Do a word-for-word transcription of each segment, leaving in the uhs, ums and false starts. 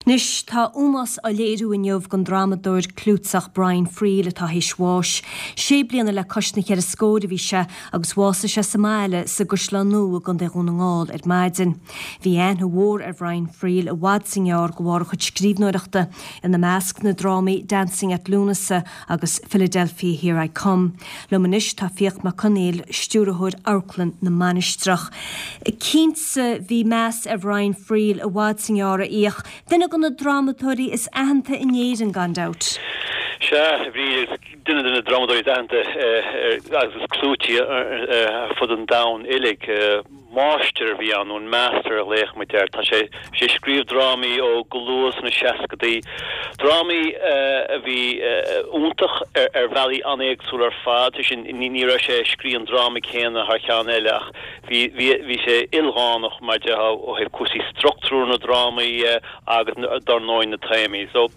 Anois tá ómós á léiriú inniu don drámadóir clúiteach Brian Friel atá théis bháis. Sé bliana le cois na ceithre scór a bhí sé agus bhásaigh sé sa mbaile sa gCaisleán Nua i gContae Dhún na nGall ar maidin. Bhí aithne mhór ar Brian Friel i bhfad is i ngearr de bharr a chuid scríbhneoireachta ina measc na drámaí Dancing at Lughnasa agus Philadelphia Here I Come. Liom anois tá Fiach Mac Conghail stiúrthóir Amharclann na Mainistreach. Cinnte bhí meas ar Brian Friel i bhfad is i ngearr a Fhiach, duine de na drámadóirí is aitheanta in Éirinn gan dabht. Sea bhí duine de na drámadóirí is aitheanta agus is clúití ar fud an domhain uilig. Máistir a bhí ann nó an master a ghlaodh muid air. Tá sé sé ag scríobh drámaí ó go luath sna seascadaí. Drámaí a bhí iontach ar bhealaí an-éagsúil ar fad, sin ní raibh sé ag scríobh an dráma céanna thar cheann eile ach bhí bhí sé ildánach mar de ó thaobh cúrsaí struchtúr na drámaí agus dar ndóigh na téamaí. So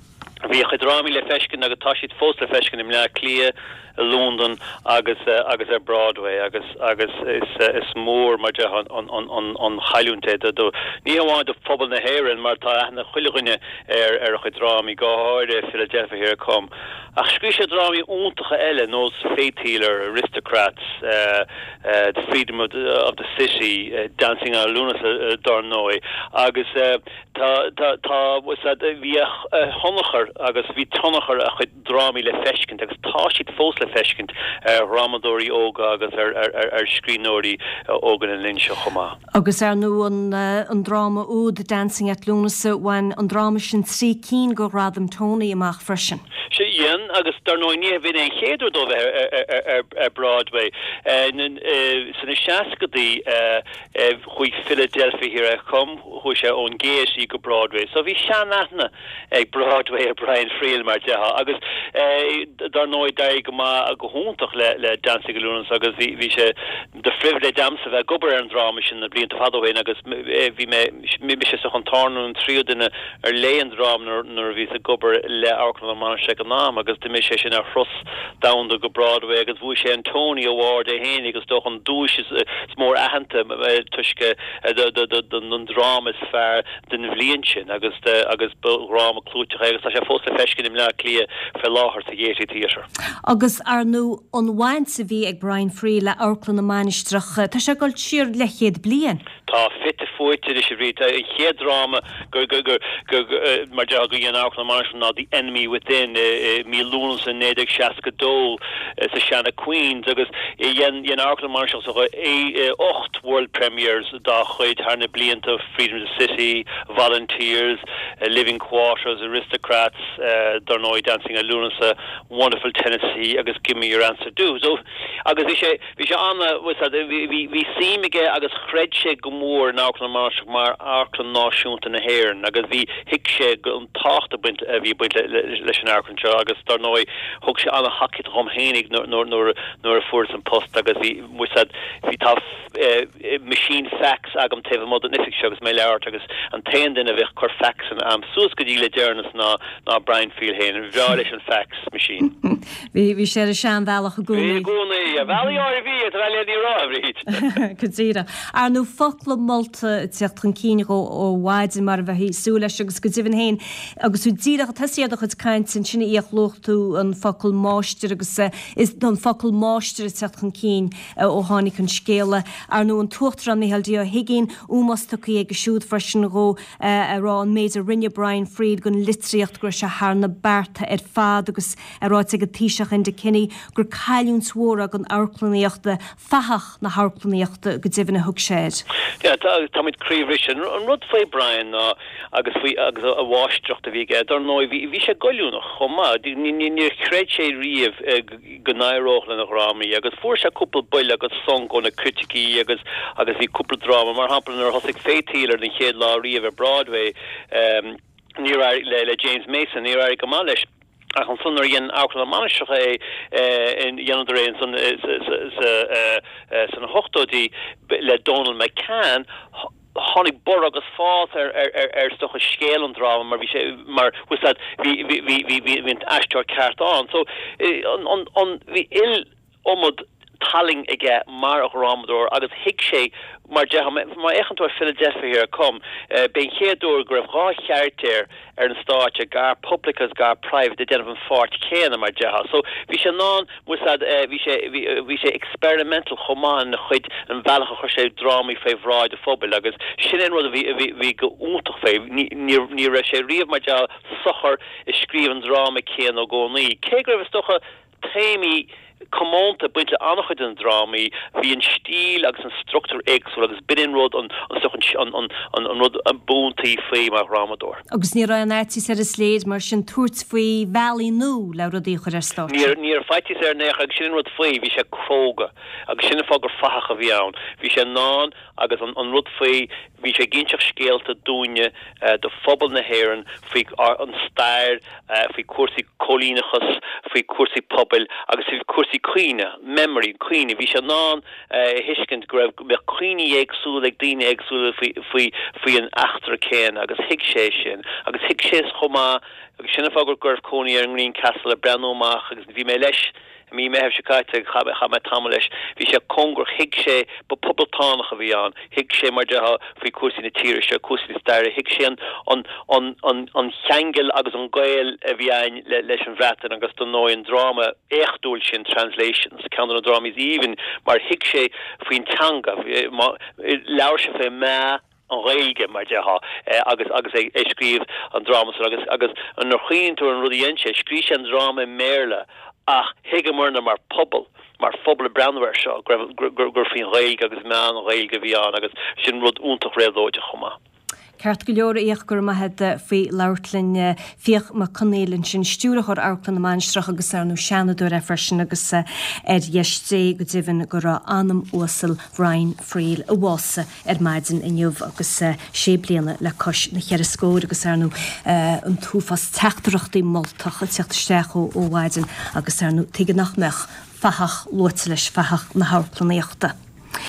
bhí a chuid drámaí le feiscint agus tá siad fós le feiscint i mBleá Cliath, i Londain agus agus ar Broadway agus agus is is mór mar de an an an an chailliúint é do ní hamháin do phobal na hÉireann mar tá aithne chuile dhuine ar ar a chuid drámaí go háirithe Philadelphia Here I Come. Ach scríobh sé drámaí iontacha eile nós Faith Healer, Aristocrats, uh, uh, The Freedom of the, of the City, uh, Dancing at Lughnasa uh, dar ndóigh agus uh, tá tá tá bhí a thionchar agus bhí tionchar a chuid drámaí le feiscint agus tá siad fós le feiscint ar dhrámadóirí óga agus ar ar ar, ar scríbhneoirí óga na linne seo chomh maith. Agus ar ndóigh an, an dráma úd Dancing at Lughnasa bhain an dráma sin trí cinn de ghradam Tony amach freisin. Sé dhein agus dar ndóigh ní bhíonn an chéad uair dó bheith ar Broadway. Sna seascadaí chuaigh Philadelphia Here I Come chuaigh sé ón Gaiety go Broadway. So bhí seanaithne ag Broadway ar Brian Friel mar déarfá agus dar ndóigh d'éirigh go maith go hiontach le le Dancing at Lughnasa agus bhí bhí sé de phribhléid a'msa bheith ag obair ar an dráma sin na blianta fada ó shin agus bhí mé mise sa an tarna an tríú duine ar léigh an dráma nuair a bhíos ag obair le Amharclann na Mainistreach an am agus d'imigh sé sin ar thuras domhanda go Broadway agus bhuaigh sé an Tony Award é féin agus dócha an duais is mór aitheanta toisc don dráma is fearr den bhliain sin agus agus dráma clúiteach agus tá sé fós le feiscint i mBleá Cliath fé láthair sa Gaiety Theatre. Agus ar ndóigh an bhaint a bhí ag Brian Friel le Amharclann na Mainistreach, Tá sé ag dul siar leathchéad bliain. Tá fite fuaite leis a bhí an chéad dráma gur gur gur gur mar de go dhein Amharclann na Mainistreach ná The Enemy Within mí Lúnasa naoi déag seasca dó sa seana Queens agus dhein dhein Amharclann na Mainistreach sa ocht world premieres dá chuid thar na blianta Freedom of the City, Volunteers, uh, Living Quarters, Aristocrats, uh, dar ndóigh Dancing at Lughnasa, Wonderful Tennessee agus Give Me Your Answer Do. So agus bhí sé bhí sé anna bhí bhí suim aige agus chreid sé go mór in Amharclann na Mainistreach mar amharclann náisiúnta na hÉireann agus bhí thuig sé an tábhacht a baint a bhí baint leis an amharclann seo agus dar ndóigh thug sé an-tacaíocht dhom fhéinig nuair nuair a fuaireas an post agus bhí bhí tá machine fax agam taobh amuigh den oifig seo agus mé leabhart agus an t-aon duine a bheith cur fax an am suas go dtí le deireanas ná ná Brian Friel féin bhreá leis an fax machine. Bhí bhí sé ar seanbhealach i gcónaí. gcónaí a bhealaí áir bhí le ní rá bhríd. Go díreach. Ar ndóigh focla molta teacht chun cinn ó ó mhaidin mar a bheifí ag súil leis agus go deimhin féin agus tú díreach tosaigh do chuid cainte ansin a luaigh tú an focal máistir agus is don focal máistir teacht chun cinn ó tháinig an scéala. Ar ndóigh an tUachtarán Micheál D. Ó hUiginn ómós tugtha aige siúd freisin dhó a rá an méid a rinne Brian Friel don litríocht go raibh sé thar na bearta ar fad agus é ráite ag an Taoiseach Enda Kenny gur cailliúint mhór don amharclannaíocht fathach na hamharclannaíochta go deimhin a thug sé air. Ja táimid croíbhriste an rud faoi Brian ná agus faoi agus a mháistreacht a bhí aige dar ndóigh bhí sé goilliúnach chomh maith níor chreid sé riamh go n-éireodh lena dhrámaí agus fuair sé cúpla buille agus sonc ó na criticí agus agus bhí cúpla dráma mar shampla nuair a thosaigh Faith Healer den chéad lá riamh ar Broadway um, ní le le James Mason ní go maith leis. Ach ansan nuair a dhein Amharclann na Mainistreach é dheineadar é san sna hochtóidí le Donald McCann tháinig borradh agus fás ar ar ar stocha scéal an dráma mar bhí sé mar bhí bhí bhí bhí bhí an aisteoir ceart ann so an an an bhí iliomad tallainn aige mar dhrámadóir agus thuig sé mar má fhéachann tú ar Philadelphia Here I Come, b'é an chéad uair go raibh dhá charachtar ar an stáitse gar public agus gar private ag déanamh an pháirt chéanna mar déarfá. So bhí sé in ann bhí sé bhí sé experimental chomh maith ina chuid an bhealach a chuir sé drámaí fé bhráid an phobail agus sin an rud a bhí bhí bhí go iontach fé ní raibh sé riamh mar déarfá socair ag scríobh an dráma céanna i gcónaí. Cé go raibh is dócha téamaí comónta baint le an-chuid den drámaí, bhí an stíl agus an struchtúr éagsúil agus b'in an rud an an rud a b'iontaí faoi mar dhrámadóir. Agus ní raibh an fhaitíos air is léir mar sin tabhairt faoi bhealaí nua le rudaí a chur ar stáitse. Ní ní raibh faitíos air in aon chor agus sin an rud faoi, bhí sé cróga agus sin an fáth gur fathach a bhí ann. Bhí sé in ann agus an an rud faoi bhí sé ag inseacht scéalta dúinne do phobal na hÉireann faoi an stair, faoi cúrsaí cóilíneachas, faoi cúrsaí pobail agus faoi cúrsaí cuimhne, memory, cuimhne. Bhí sé in ann a thuiscint go raibh go mbeadh cuimhní éagsúla ag daoine éagsúla faoi faoi faoi an eachtra céanna agus thuig sé sin agus thuig sé chomh maith agus sin an fáth go raibh cónaí air in Greencastle ag breathnú amach agus bhí mé leis I mí Meitheamh seo caite, chaith mé tamall leis, bhí sé cóngarach, thuig sé, ba poblachtánach a bhí ann, thuig sé mar déarfá faoi cúrsaí na tíre seo, cúrsaí na staire, thuig sé an, an, an, an, an cheangal agus an gaol a bhí ann le, leis an Bhreatain agus dar ndóigh an dráma éachtúil sin Translations, ceann de na drámaí is aoibhinn mar thuig sé faoin teanga, labhair sé fé meath an Ghaeilge mar déarfá agus agus é ag scríobh an dráma san agus agus nuair a chuimhníonn tú ar an rud a dhein sé, scríobh sé an dráma i mBéarla ach thuigeamarna mar phobal, mar phobal ag breathnú air seo go raibh gur faoin Ghaeilge agus meath na Gaeilge a bhí ann agus sin rud iontach réabhlóideach chomh maith. Ceart go leor, a Fhiach, go raibh maith agat faoi labhairt linn. Fiach Mac Conghail ansin, Stiúrthóir Amharclann na Mainistreach agus ar ndóigh Seanadóir é freisin agus ar dheis Dé go deimhin go raibh anam uasal Brian Friel a bhásaigh ar maidin inniu agus sé bliana le cois na cheithre scór agus ar ndóigh an t-uafás teachtaireachtaí moltach ag teacht isteach ó mhaidin agus ar ndóigh tuige nach mbeadh fathach luaite leis, fathach na hamharclannaíochta.